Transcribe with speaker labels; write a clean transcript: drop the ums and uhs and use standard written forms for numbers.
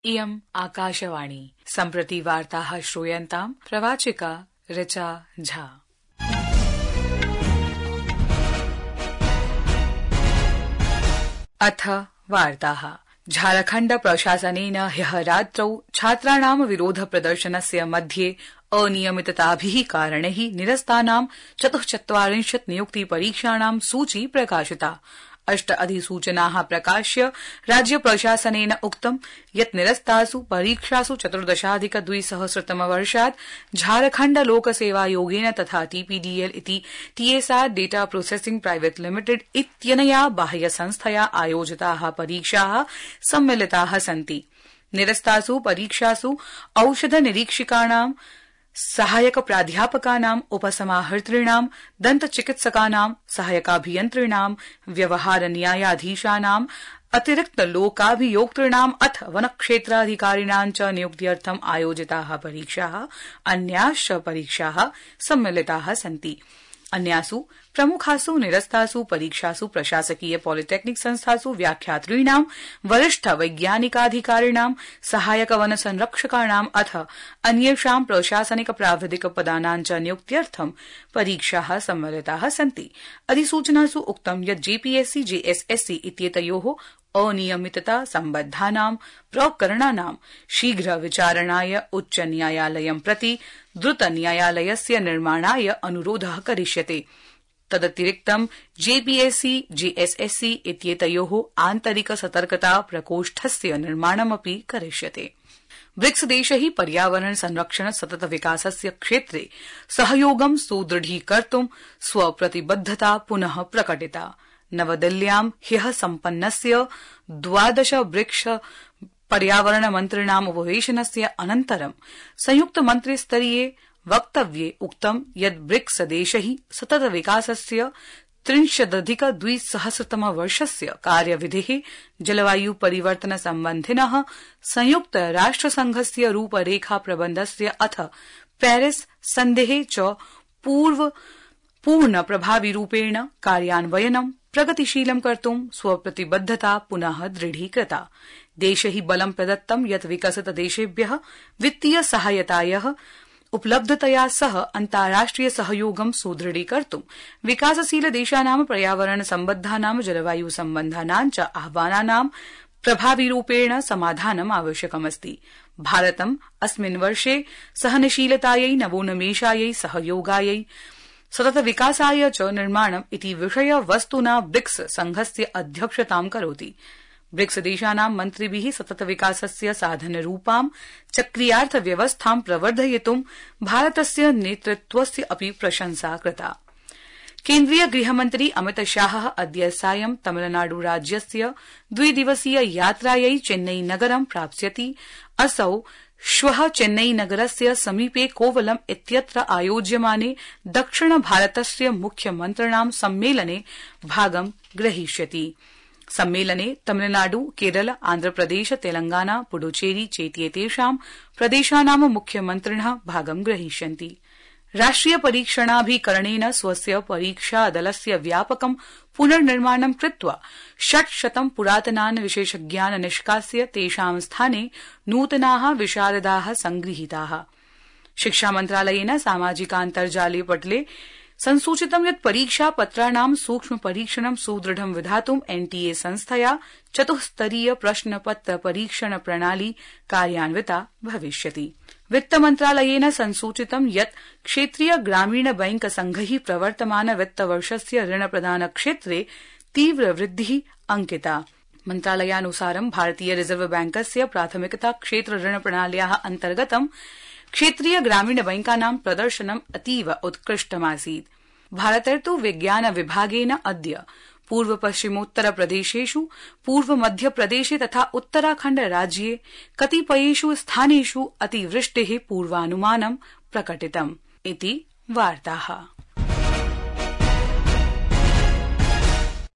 Speaker 1: इयम् आकाशवाणी। सम्प्रति वार्ताः श्रूयन्ताम्। प्रवाचिका ऋचा झा। अथ वार्ताः। झारखण्ड प्रशासनेन ह्यः रात्रौ छात्राणां विरोध प्रदर्शनस्य मध्ये अनियमितताभिः कारणैः निरस्तानां 44 नियुक्ति परीक्षाणां सूची प्रकाशिता। 8 अधिसूचनाः प्रकाश्य राज्य प्रशासनेन उक्तं यत् निरस्तासु परीक्षासु 14,200 झारखण्ड लोकसेवायोगेन तथा TPDL इति TSR data processing private limited इत्यनया बाह्य संस्थया आयोजिताः परीक्षाः सम्मिलिताः सन्ति। निरस्तासु परीक्षासु औषध निरीक्षकाणां, सहायक प्राध्यापकानां, उपसमाहर्तॄणां, दन्त चिकित्सकानां, सहायकाभियन्त्रिणां, व्यवहार न्यायाधीशानां, अतिरिक्त लोकाभियोक्तॄणाम् अथ वनक्षेत्राधिकारिणां च नियुक्त्यर्थम् आयोजिताः परीक्षाः अन्याश्च परीक्षाः सम्मिलिताः सन्ति। अन्यासु प्रमुखासु निरस्तासु परीक्षासु प्रशासकीय पॉलिटेक्निक संस्थासु व्याख्यातॄणां, वरिष्ठ वैज्ञानिकाधिकारिणां, सहायक वन संरक्षकाणां अथ अन्येषां प्रशासनिक प्राविधिक पदानां च नियुक्त्यर्थं परीक्षाः सम्मिलिताः सन्ति। अधिसूचनासु उक्तं यत् JPSC JSSC इत्येतयोः अनियमितता सम्बद्धानां प्रकरणानां शीघ्र विचारणाय उच्च न्यायालयं प्रति द्रुत न्यायालयस्य निर्माणाय अनुरोधः करिष्यते। तदतिरिक्तं JPSC JSSC इत्येतयोः आन्तरिक सतर्कता प्रकोष्ठस्य निर्माणमपि करिष्यते। ब्रिक्स देशैः पर्यावरण संरक्षण सतत विकासस्य क्षेत्रे सहयोगं सुदृढीकर्तुं स्वप्रतिबद्धता पुनः प्रकटिता। नवदिल्ल्यां ह्यः सम्पन्नस्य 12 ब्रिक्स पर्यावरण मन्त्रिणाम् उपवेशनस्य अनन्तरं संयुक्त मन्त्रिस्तरीये वक्तव्ये उक्तं यत् ब्रिक्स देशैः सतत विकासस्य 30,200 वर्षस्य कार्यविधिः, जलवायु परिवर्तन सम्बन्धिनः संयुक्त राष्ट्रसंघस्य रूपरेखा प्रबन्धस्य अथ पेरिस सन्धेः च पूर्ण प्रभाविरूपेण कार्यान्वयनं प्रगतिशीलं कर्तुं स्वप्रतिबद्धता पुनः दृढीकृता। देशैः बलं प्रदत्तं यत् विकसित देशेभ्यः वित्तीय सहायतायाः उपलब्धतया सह अन्ताराष्ट्रिय सहयोगं सुदृढीकर्तुं विकासशील देशानां पर्यावरण सम्बद्धानां जलवायु सम्बन्धानां च आह्वानानां प्रभाविरूपेण समाधानम् आवश्यकमस्ति। भारतम् अस्मिन् वर्षे सहनशीलतायै, नवोन्मेषायै, सहयोगायै, सतत विकासाय च निर्माणम् इति विषय वस्तुना ब्रिक्स संघस्य अध्यक्षतां करोति। ब्रिक्स देशानां मन्त्रिभिः सतत विकासस्य साधनरूपां चक्रीयार्थ व्यवस्थां प्रवर्धयितुं भारतस्य नेतृत्वस्य अपि प्रशंसा कृता। केन्द्रीय गृहमन्त्री अमित शाहः अद्य सायं तमिलनाडु राज्यस्य 2 दिवसीय यात्रायै चेन्नई नगरं प्राप्स्यति। असौ श्वः चेन्नई नगरस्य समीपे कोवलम इत्यत्र आयोज्यमाने दक्षिण भारतस्य मुख्यमन्त्रिणां सम्मेलने भागं ग्रहीष्यति। सम्मेलने तमिलनाडु, केरल, आन्ध्रप्रदेश, तेलंगाना, पुडुचेरी चेत्येतेषां प्रदेशानां मुख्यमन्त्रिणः भागं ग्रहीष्यन्ति। राष्ट्रिय परीक्षणाभिकरणेन स्वस्य परीक्षादलस्य व्यापकं पुनर्निर्माणं कृत्वा 600 पुरातनान् विशेषज्ञान् निष्कास्य तेषां स्थाने नूतनाः विशारदाः संगृहीताः। शिक्षामन्त्रालयेन सामाजिकान्तर्जाले पटले संसूचितं यत् परीक्षापत्राणां सूक्ष्म परीक्षणं सुदृढं विधातुं NTA संस्थया 4-स्तरीय प्रश्नपत्र परीक्षण प्रणाली कार्यान्विता भविष्यति। वित्तमन्त्रालयेन संसूचितं यत् क्षेत्रीय ग्रामीण बैंक संघैः प्रवर्तमान वित्तवर्षस्य ऋणप्रदान क्षेत्रे तीव्र वृद्धिः अंकिता। मन्त्रालयानुसारं भारतीय रिजर्व बैंकस्य प्राथमिकता क्षेत्र ऋण प्रणाल्याः अन्तर्गतं क्षेत्रीय ग्रामीण बैंकानां प्रदर्शनम् अतीव उत्कृष्टमासीत्। भारतर्तु विज्ञान विभागेन अद्य पूर्व पश्चिमोत्तर प्रदेशेषु, पूर्व मध्य प्रदेशे तथा उत्तराखण्ड राज्ये कतिपयेषु स्थानेषु अतिवृष्टेः पूर्वानुमानं प्रकटितम् इति वार्ताः।